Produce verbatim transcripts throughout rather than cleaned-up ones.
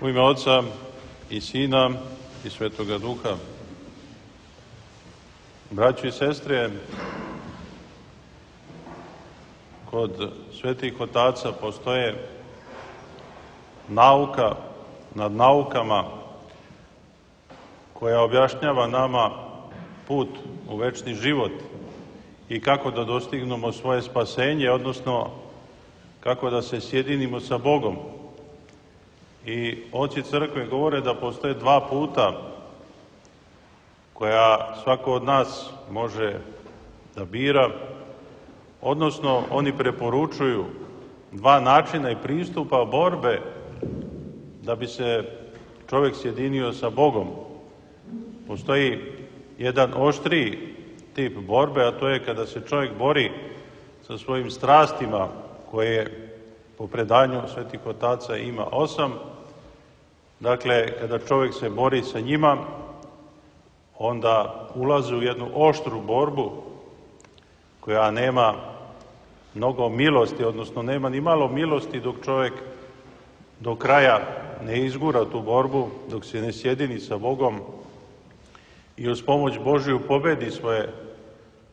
U ime Oca i Sina i Svetoga Duha. Braćo i sestre, kod svetih otaca postoje nauka nad naukama koja objašnjava nama put u večni život i kako da dostignemo svoje spasenje, odnosno kako da se sjedinimo sa Bogom. I oci crkve govore da postoje dva puta koja svako od nas može da bira, odnosno oni preporučuju dva načina i pristupa borbe da bi se čovjek sjedinio sa Bogom. Postoji jedan oštriji tip borbe, a to je kada se čovjek bori sa svojim strastima, koje po predanju svetih otaca ima osam. Dakle, kada čovjek se bori sa njima, onda ulazi u jednu oštru borbu koja nema mnogo milosti, odnosno nema ni malo milosti dok čovjek do kraja ne izgura tu borbu, dok se ne sjedini sa Bogom i uz pomoć Božiju pobedi svoje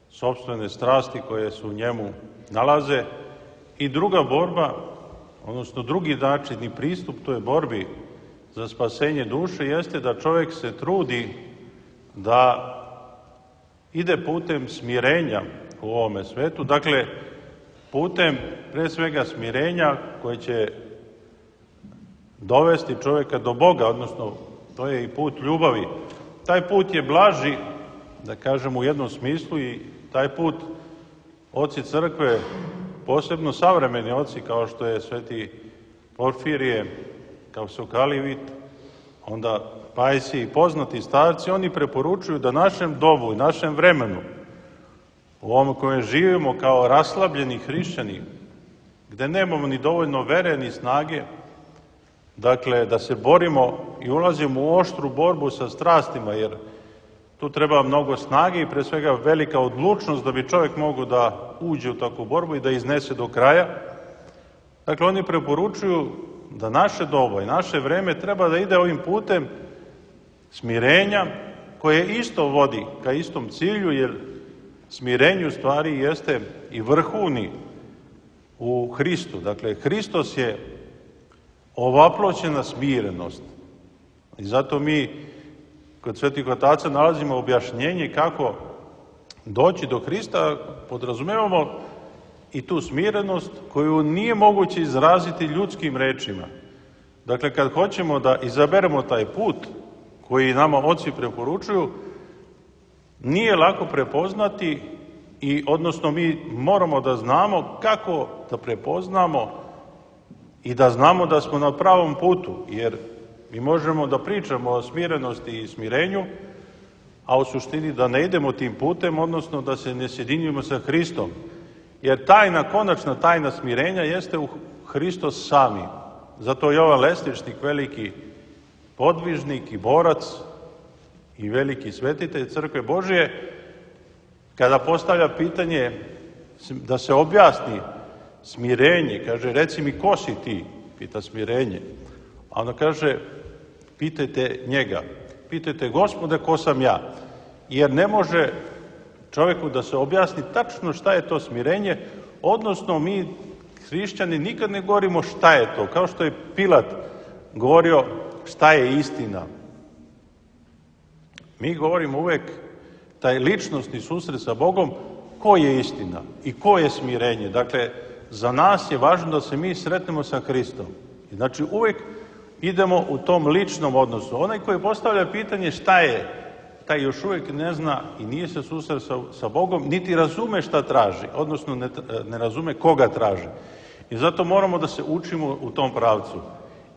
sopstvene strasti koje se u njemu nalaze. I druga borba, odnosno drugi način i pristup toj borbi za spasenje duše jeste da čovjek se trudi da ide putem smirenja u ovome svetu, dakle putem pre svega smirenja koje će dovesti čovjeka do Boga, odnosno to je i put ljubavi. Taj put je blaži, da kažem u jednom smislu, i taj put oci crkve, posebno savremeni oci kao što je sveti Porfirije, kao Sokalivit, onda Pajsi i poznati starci, oni preporučuju da našem dobu i našem vremenu, u ovom kojem živimo kao raslabljeni hrišćani, gde nemamo ni dovoljno vere ni snage, dakle da se borimo i ulazimo u oštru borbu sa strastima, jer tu treba mnogo snage i pre svega velika odlučnost da bi čovjek mogao da uđe u takvu borbu i da iznese do kraja. Dakle, oni preporučuju da naše doba i naše vreme treba da ide ovim putem smirenja, koje isto vodi ka istom cilju, jer smirenju u stvari jeste i vrhuni u Hristu. Dakle, Hristos je ovaploćena smirenost. I zato mi kod svetih otaca nalazimo objašnjenje kako doći do Hrista, podrazumevamo i tu smirenost koju nije moguće izraziti ljudskim rečima. Dakle, kad hoćemo da izaberemo taj put koji nama oci preporučuju, nije lako prepoznati, i odnosno mi moramo da znamo kako da prepoznamo i da znamo da smo na pravom putu, jer mi možemo da pričamo o smirenosti i smirenju, a u suštini da ne idemo tim putem, odnosno da se ne sjedinjujemo sa Hristom. Jer tajna, konačna tajna smirenja jeste u Hristos sami. Zato Jovan Lestičnik, veliki podvižnik i borac i veliki svetitelj Crkve Božije, kada postavlja pitanje da se objasni smirenje, kaže, reci mi ko si ti, pita smirenje. A onda kaže, pitajte njega, pitajte Gospode ko sam ja. Jer ne može čovjeku da se objasni tačno šta je to smirenje, odnosno mi, hrišćani, nikad ne govorimo šta je to, kao što je Pilat govorio šta je istina. Mi govorimo uvek taj ličnosni susret sa Bogom, ko je istina i ko je smirenje. Dakle, za nas je važno da se mi sretnemo sa Hristom. Znači, uvek idemo u tom ličnom odnosu. Onaj koji postavlja pitanje šta je, taj još uvijek ne zna i nije se susreo sa, sa Bogom, niti razume šta traži, odnosno ne, ne razume koga traži. I zato moramo da se učimo u tom pravcu.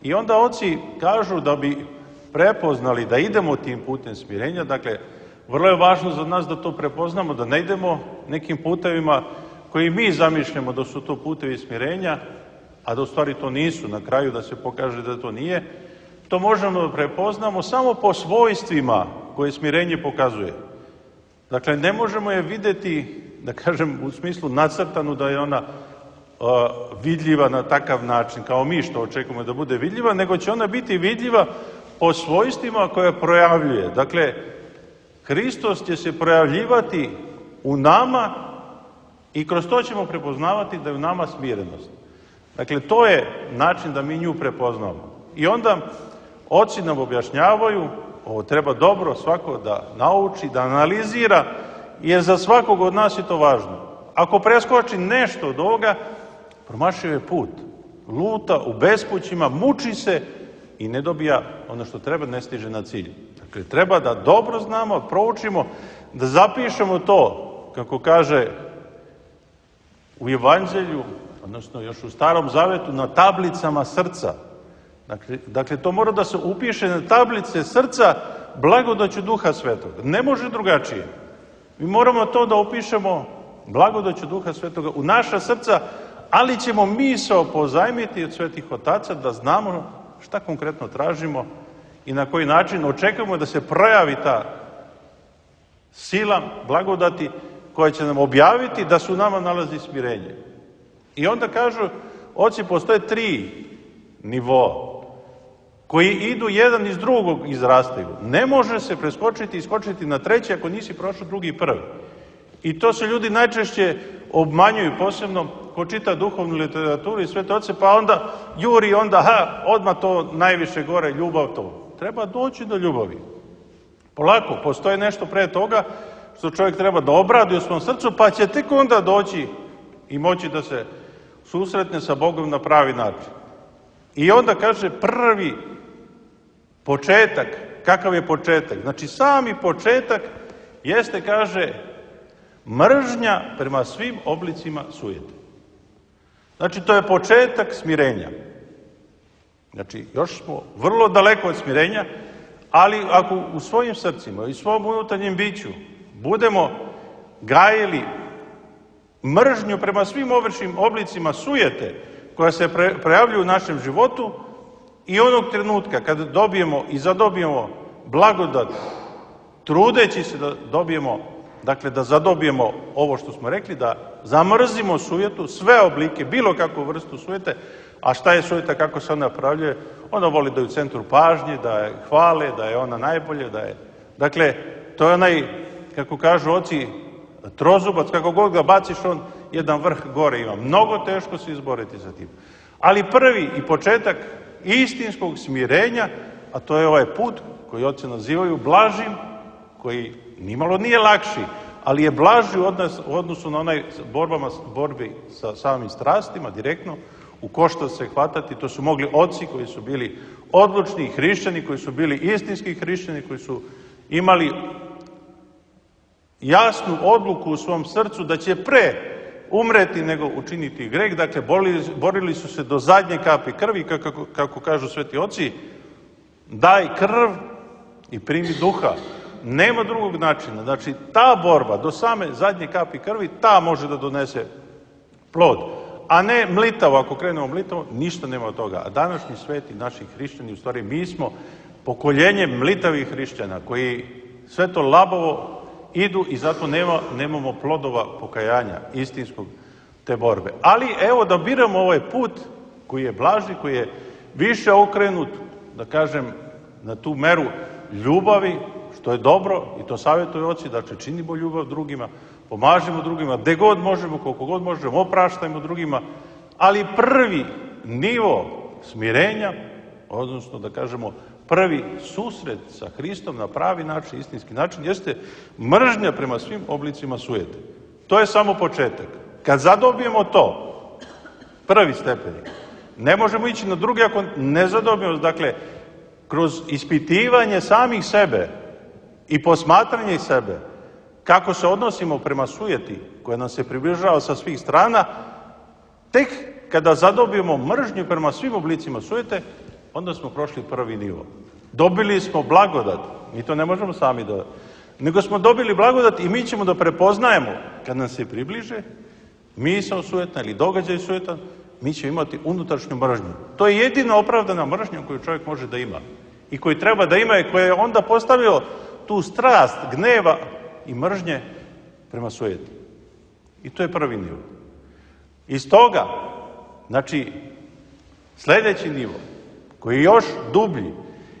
I onda oci kažu da bi prepoznali da idemo tim putem smirenja, dakle, vrlo je važno za nas da to prepoznamo, da ne idemo nekim putevima koji mi zamišljamo da su to putevi smirenja, a da u stvari to nisu, na kraju da se pokaže da to nije. To možemo da prepoznamo samo po svojstvima koje smirenje pokazuje. Dakle, ne možemo je videti, da kažem, u smislu nacrtanu da je ona vidljiva na takav način, kao mi što očekujemo da bude vidljiva, nego će ona biti vidljiva po svojstvima koje projavljuje. Dakle, Hristos će se projavljivati u nama i kroz to ćemo prepoznavati da je u nama smirenost. Dakle, to je način da mi nju prepoznamo. I onda oci nam objašnjavaju, ovo treba dobro svako da nauči, da analizira, jer za svakog od nas je to važno. Ako preskoči nešto od ovoga, promašio je put. Luta u bespućima, muči se i ne dobija ono što treba, ne stiže na cilj. Dakle, treba da dobro znamo, proučimo, da zapišemo to, kako kaže u Evanđelju, odnosno još u Starom Zavetu, na tablicama srca. Dakle, dakle, to mora da se upiše na tablice srca blagodaću Duha Svetoga. Ne može drugačije. Mi moramo to da upišemo blagodaću Duha Svetoga u naša srca, ali ćemo misao pozajmiti od svetih otaca da znamo šta konkretno tražimo i na koji način očekujemo da se projavi ta sila blagodati koja će nam objaviti da se u nama nalazi smirenje. I onda kažu, oci, postoje tri nivoa koji idu jedan iz drugog izrastaju. Ne može se preskočiti i skočiti na treći ako nisi prošao drugi i prvi. I to se ljudi najčešće obmanjuju, posebno ko čita duhovnu literaturu i svete oce, pa onda juri, onda, ha, odmah to najviše gore, ljubav to. Treba doći do ljubavi. Polako, postoje nešto pre toga što čovjek treba da obradi u svom srcu, pa će tek onda doći i moći da se susretne sa Bogom na pravi način. I onda kaže prvi početak, kakav je početak? Znači sami početak jeste, kaže, mržnja prema svim oblicima sujete. Znači to je početak smirenja. Znači još smo vrlo daleko od smirenja, ali ako u svojim srcima i svom unutarnjem biću budemo gajili mržnju prema svim ovršnim oblicima sujete koja se pre, prejavljuju u našem životu i onog trenutka kada dobijemo i zadobijemo blagodat, trudeći se da dobijemo, dakle da zadobijemo ovo što smo rekli, da zamrzimo sujetu, sve oblike, bilo kakvu vrstu sujete. A šta je sujeta, kako se ona pravljuje? Ona voli da je u centru pažnje, da je hvale, da je ona najbolje, da je... Dakle, to je onaj, kako kažu oci, trozubac, kako god ga baciš, on jedan vrh gore ima. Mnogo teško se izboriti za tim. Ali prvi i početak istinskog smirenja, a to je ovaj put koji oci nazivaju blažim, koji nimalo nije lakši, ali je blaži u odnosu na onaj borbama, borbi sa samim strastima, direktno, u koštac se hvatati. To su mogli oci koji su bili odlučni hrišćani, koji su bili istinski hrišćani, koji su imali jasnu odluku u svom srcu da će pre umreti nego učiniti greh. Dakle, borili, borili su se do zadnje kapi krvi, kako, kako kažu sveti oci, daj krv i primi duha. Nema drugog načina. Znači, ta borba do same zadnje kapi krvi, ta može da donese plod. A ne mlitavo, ako krenemo mlitavo, ništa nema od toga. A današnji sveti, naši hrišćani, u stvari mi smo pokoljenje mlitavih hrišćana, koji sve to labavo idu i zato nema, nemamo plodova pokajanja, istinskog te borbe. Ali evo da biramo ovaj put koji je blaži, koji je više okrenut, da kažem, na tu meru ljubavi, što je dobro, i to savjetuju oci, dakle činimo ljubav drugima, pomažimo drugima, gde god možemo, koliko god možemo, opraštajmo drugima, ali prvi nivo smirenja, odnosno da kažemo prvi susret sa Hristom na pravi način, istinski način, jeste mržnja prema svim oblicima sujete. To je samo početak. Kad zadobijemo to, prvi stepenik, ne možemo ići na drugi ako ne zadobijemo, dakle, kroz ispitivanje samih sebe i posmatranje sebe, kako se odnosimo prema sujeti koja nam se približava sa svih strana, tek kada zadobijemo mržnju prema svim oblicima sujete, onda smo prošli prvi nivo. Dobili smo blagodat, mi to ne možemo sami da... Nego smo dobili blagodat i mi ćemo da prepoznajemo, kad nam se približe, misao sujetna ili događaj sujetan, mi ćemo imati unutrašnju mržnju. To je jedina opravdana mržnja koju čovjek može da ima i koju treba da ima i koja je onda postavio tu strast, gneva i mržnje prema sujeti. I to je prvi nivo. Iz toga Znači, sljedeći nivo, koji je još dublji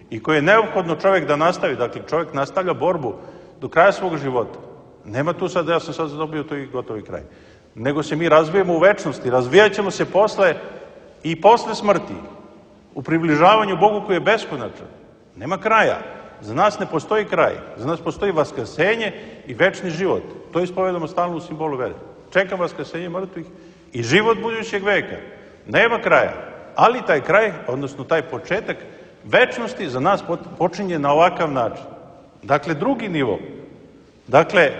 i koji je neophodno čovjek da nastavi, dakle čovjek nastavlja borbu do kraja svog života. Nema tu sad, ja sam sad dobio to i gotovi kraj. Nego se mi razvijemo u večnosti, razvijat ćemo se posle i posle smrti, u približavanju Bogu koji je beskonačan. Nema kraja. Za nas ne postoji kraj. Za nas postoji vaskrsenje i večni život. To ispovedamo stalno u simbolu vere. Čekam vaskrsenje mrtvih i život budućeg veka. Nema kraja. Ali taj kraj, odnosno taj početak večnosti za nas počinje na ovakav način. Dakle, drugi nivo. Dakle,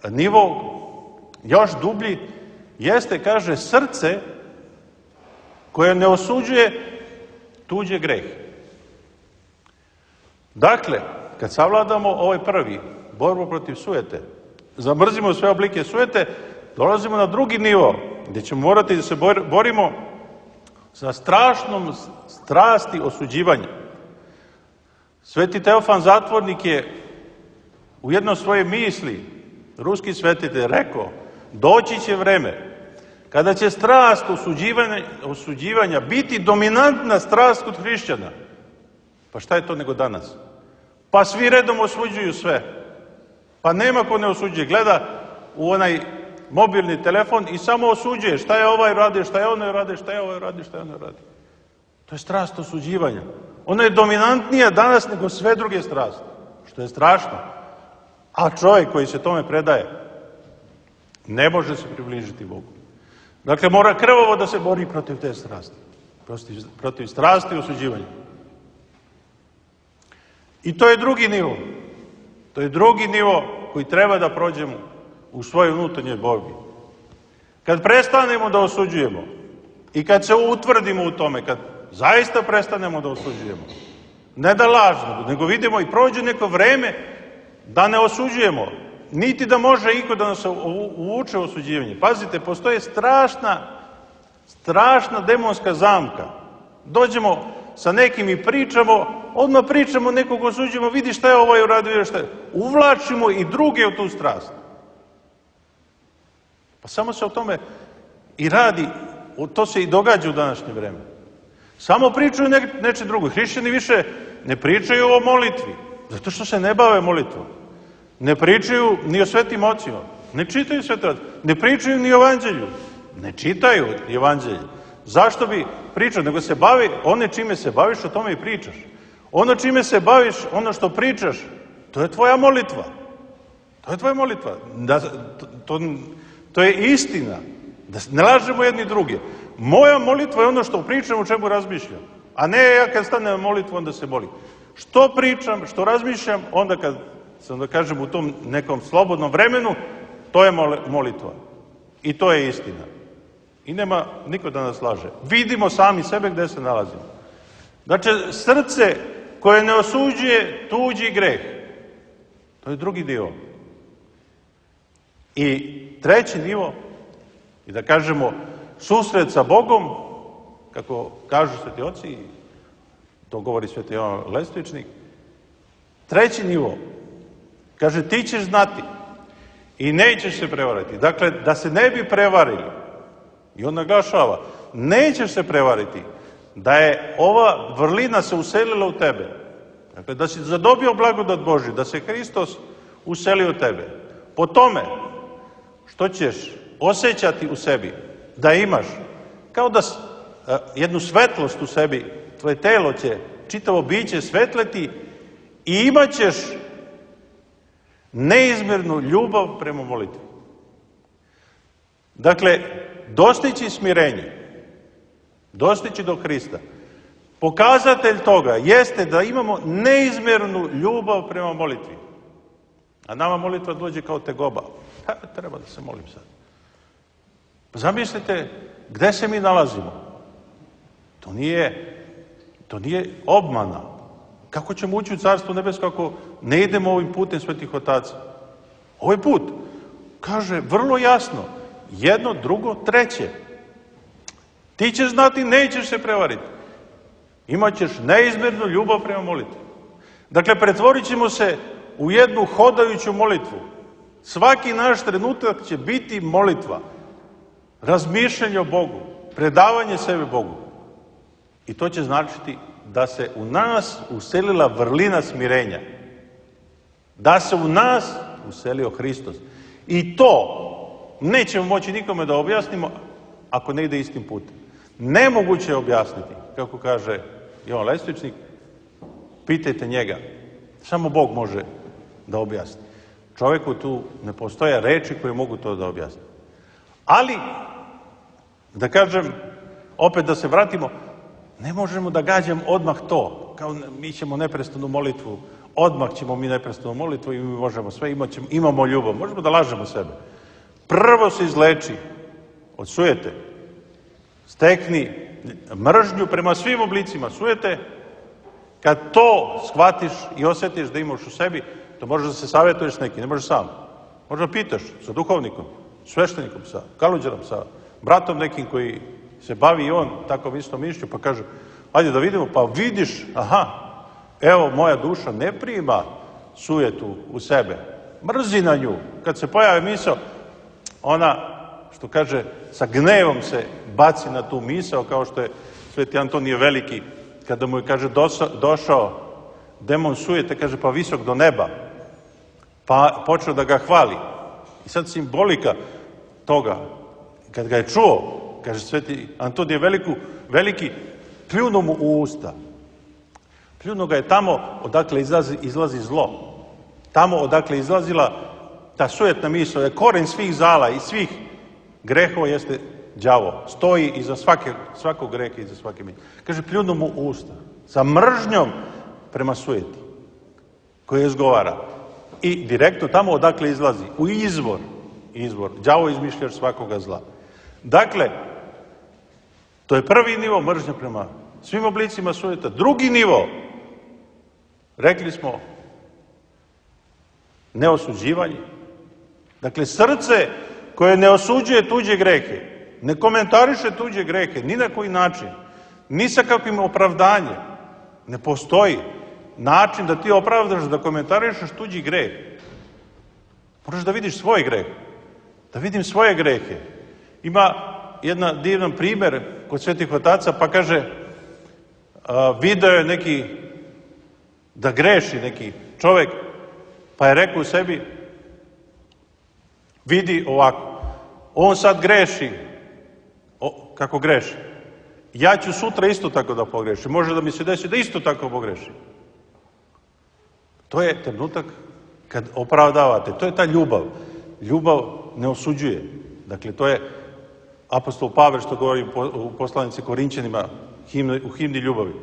nivo još dublji jeste, kaže, srce koje ne osuđuje tuđe grehe. Dakle, kad savladamo ovaj prvi, borbu protiv sujete, zamrzimo sve oblike sujete, dolazimo na drugi nivo, gdje ćemo morati da se borimo sa strašnom strasti osuđivanja. Sveti Teofan Zatvornik je u jednoj svoje misli, ruski svetitelj, rekao, doći će vreme kada će strast osuđivanja, osuđivanja biti dominantna strast kod hrišćana. Pa šta je to nego danas? Pa svi redom osuđuju sve. Pa nema ko ne osuđuje. Gleda u onaj mobilni telefon i samo osuđuje šta je ovaj radi, šta je onaj radi, šta je ovaj radi, šta je onaj radi. To je strast osuđivanja. Ona je dominantnija danas nego sve druge strasti. Što je strašno. A čovjek koji se tome predaje ne može se približiti Bogu. Dakle, mora krvavo da se bori protiv te strasti. Protiv, protiv strasti i osuđivanja. I to je drugi nivo. To je drugi nivo koji treba da prođemo u svojoj unutarnjoj borbi. Kad prestanemo da osuđujemo i kad se utvrdimo u tome, kad zaista prestanemo da osuđujemo, ne da lažno, nego vidimo i prođe neko vreme da ne osuđujemo, niti da može iko da nas uvuče u osuđivanje. Pazite, postoje strašna, strašna demonska zamka. Dođemo sa nekim i pričamo, odmah pričamo, nekog osuđujemo, vidi šta je ovaj uradio, vidi šta je. Uvlačimo i druge u tu strast. Pa samo se o tome i radi, to se i događa u današnje vreme. Samo pričaju ne, neče drugo. Hrišćani više ne pričaju o molitvi, zato što se ne bave molitvom. Ne pričaju ni o svetim ocima, ne čitaju svete oce, ne pričaju ni o evanđelju, ne čitaju evanđelje. Zašto bi pričao? Nego se bavi, one čime se baviš, o tome i pričaš. Ono čime se baviš, ono što pričaš, to je tvoja molitva. To je tvoja molitva. Da, to, to, to je istina. Da ne lažemo jedni druge. Moja molitva je ono što pričam, o čemu razmišljam. A ne ja kad stanem na molitvu, onda se molim. Što pričam, što razmišljam, onda kad sam, da kažem, u tom nekom slobodnom vremenu, to je molitva. I to je istina. I nema niko da nas laže. Vidimo sami sebe gde se nalazimo. Znači, srce koje ne osuđuje tuđi greh. To je drugi dio. I treći nivo, i da kažemo, susret sa Bogom, kako kažu sveti oci, to govori sveti Jovan Lestvičnik, treći nivo, kaže, ti ćeš znati i nećeš se prevariti. Dakle, da se ne bi prevarili, i on naglašava, nećeš se prevariti, da je ova vrlina se uselila u tebe. Dakle, da si zadobio blagodat Božju, da se Hristos uselio u tebe. Po tome što ćeš osjećati u sebi, da imaš, kao da a, jednu svetlost u sebi, tvoje telo će, čitavo biće svetleti i imat ćeš neizmjernu ljubav prema molitvi. Dakle, dostići smirenje, dostići do Hrista, pokazatelj toga jeste da imamo neizmjernu ljubav prema molitvi. A nama molitva dođe kao tegoba. Ha, treba da se molim sad. Pa zamislite gde se mi nalazimo. To nije, to nije obmana. Kako ćemo ući u Carstvo nebesko ako ne idemo ovim putem svetih otaca? Ovaj put kaže vrlo jasno, jedno, drugo, treće. Ti ćeš znati, nećeš se prevariti. Imaćeš neizmjernu ljubav prema molitvi. Dakle, pretvorit ćemo se u jednu hodajuću molitvu. Svaki naš trenutak će biti molitva. Razmišljanje o Bogu. predavanje sebe Bogu. I to će značiti da se u nas uselila vrlina smirenja. Da se u nas uselio Hristos. I to nećemo moći nikome da objasnimo ako ne ide istim putem. Nemoguće je objasniti, kako kaže Jovan Lestvičnik, pitajte njega. Samo Bog može da objasni. Čovjeku tu ne postoje reči koje mogu to da objasni. Ali, da kažem, opet da se vratimo, ne možemo da gađamo odmah to. Kao mi ćemo neprestanu molitvu, odmah ćemo mi neprestanu molitvu i mi možemo sve, ćemo, imamo ljubav. Možemo da lažemo sebe. Prvo se izleči od sujete. Stekni mržnju prema svim oblicima sujete. Kad to shvatiš i osjetiš da imaš u sebi, to možeš da se savjetuješ s nekim, ne možeš sam. Možeš da pitaš sa duhovnikom, sveštenikom, sa kaluđerom, sa bratom nekim koji se bavi i on tako isto mišlju, pa kaže, ajde da vidimo, pa vidiš, aha, evo moja duša ne prima sujetu u sebe, mrzi na nju. Kad se pojavi misao, ona, što kaže, sa gnevom se baci na tu misao, kao što je Sveti Antonije Veliki, kada mu je, kaže, došao demon sujete, kaže, pa visok do neba, pa počeo da ga hvali. I sad simbolika toga, kad ga je čuo, kaže Sveti Antonije Veliku, Veliki, pljunuo mu u usta. Pljunuo ga je tamo odakle izlazi, izlazi zlo. Tamo odakle izlazila ta sujetna misao, je koren svih zala i svih grehova jeste đavo. Stoji iza svake, svakog greha, iza svake misli. Kaže, pljunuo mu u usta. Sa mržnjom prema sujeti koju izgovara. I direktno tamo odakle izlazi, u izvor, izvor, đavo izmišljaš svakoga zla. Dakle, to je prvi nivo mržnja prema svim oblicima sujeta. Drugi nivo, rekli smo, neosuđivanje. Dakle, srce koje ne osuđuje tuđe grehe, ne komentariše tuđe grehe, ni na koji način, ni sa kakvim opravdanjem. Ne postoji način da ti opravdaš, da komentarišeš tuđi greh. Moraš da vidiš svoj greh. Da vidim svoje grehe. Ima jedan divan primjer kod svetih otaca, pa kaže, a, video je neki, da greši neki čovjek, pa je rekao u sebi, vidi ovako, on sad greši, o, kako greši. Ja ću sutra isto tako da pogrešim. Može da mi se desi da isto tako pogrešim. To je trenutak kad opravdavate. To je ta ljubav. Ljubav ne osuđuje. Dakle, to je apostol Pavel što govori u poslanici Korinćanima u himni ljubavi.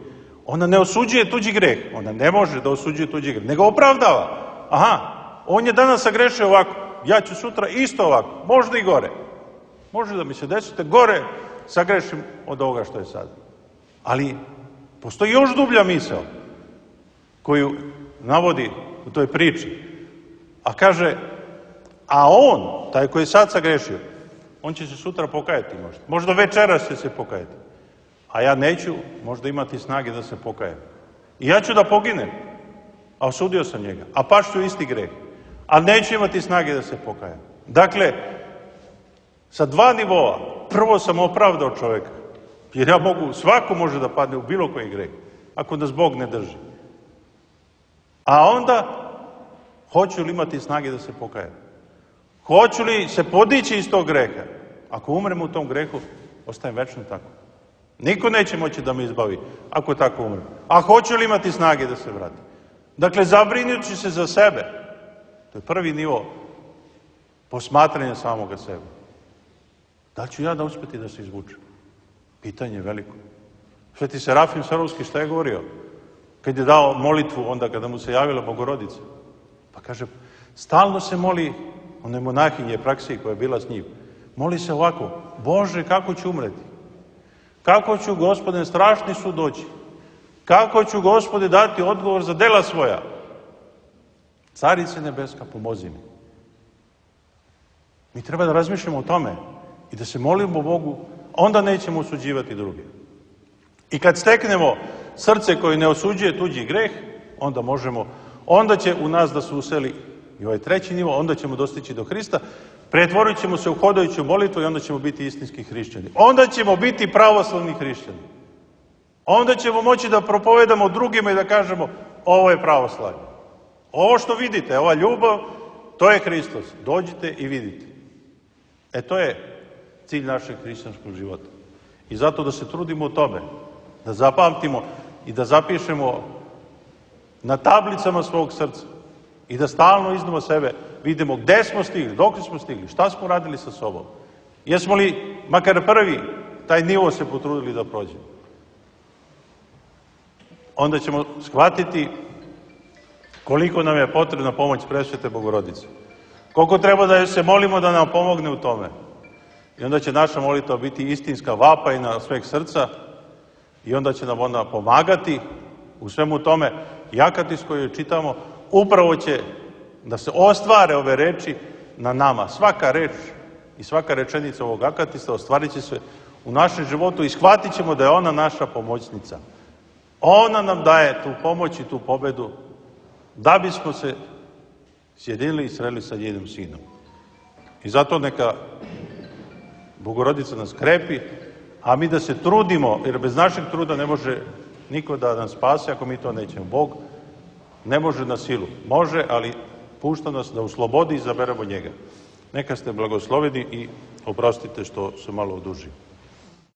Ona ne osuđuje tuđi greh. Ona ne može da osuđuje tuđi greh. Nego opravdava. Aha, on je danas sagrešio ovako. Ja ću sutra isto ovako. Možda i gore. Može da mi se desite gore sagrešim od ovoga što je sad. Ali postoji još dublja misao koju navodi u toj priči. A kaže, a on, taj koji je sad sagrešio, on će se sutra pokajati možda. Možda večeras će se pokajati. A ja neću možda imati snage da se pokajem. I ja ću da poginem. A osudio sam njega. A pašću isti greh. A neću imati snage da se pokajem. Dakle, sa dva nivoa. Prvo sam opravdao čovjeka. Jer ja mogu, svako može da padne u bilo koji greh. Ako nas Bog ne drži. A onda, hoću li imati snage da se pokajem? Hoću li se podići iz tog greha? Ako umrem u tom grehu, ostajem večno tako. Niko neće moći da me izbavi ako tako umrem. A hoću li imati snage da se vrati? Dakle, zabrinući se za sebe. To je prvi nivo posmatranja samoga sebe. Da li ću ja da uspjeti da se izvučem? Pitanje je veliko. Sveti Serafim Sarovski šta je govorio? Kad je dao molitvu, onda kada mu se javila Bogorodica. Pa kaže, stalno se moli onoj monahinje praksiji koja je bila s njim. Moli se ovako, Bože, kako ću umreti? Kako ću, Gospode, strašni sud doći? Kako ću, Gospode, dati odgovor za dela svoja? Carice nebeska, pomozi mi. Mi treba da razmišljamo o tome i da se molimo Bogu, onda nećemo osuđivati druge. I kad steknemo srce koje ne osuđuje tuđi greh, onda možemo, onda će u nas da se useli i ovaj treći nivo, onda ćemo dostići do Hrista. pretvorit ćemo se u hodajuću molitvu i onda ćemo biti istinski hrišćani. Onda ćemo biti pravoslavni hrišćani. Onda ćemo moći da propovedamo drugima i da kažemo ovo je pravoslavlje. Ovo što vidite, ova ljubav, to je Hristos. Dođite i vidite. E to je cilj našeg hrišćanskog života. I zato da se trudimo u tome, da zapamtimo i da zapišemo na tablicama svog srca i da stalno iznova sebe vidimo gde smo stigli, dok smo stigli, šta smo radili sa sobom. Jesmo li makar prvi taj nivo se potrudili da prođemo. Onda ćemo shvatiti koliko nam je potrebna pomoć Presvete Bogorodice. Koliko treba da se molimo da nam pomogne u tome. I onda će naša molitva biti istinska vapajna sveg srca i onda će nam ona pomagati u svemu tome. I akatis koju čitamo upravo će da se ostvare ove reči na nama. Svaka reč i svaka rečenica ovog akatista ostvarit će se u našem životu i shvatit ćemo da je ona naša pomoćnica. Ona nam daje tu pomoć i tu pobedu da bismo se sjedinili i sreli sa njenim sinom. I zato neka Bogorodica nas krepi, a mi da se trudimo, jer bez našeg truda ne može niko da nas spase ako mi to nećemo. Bog ne može na silu. Može, ali pušta nas da u slobodi izaberemo njega. Neka ste blagosloveni i oprostite što se malo odužio.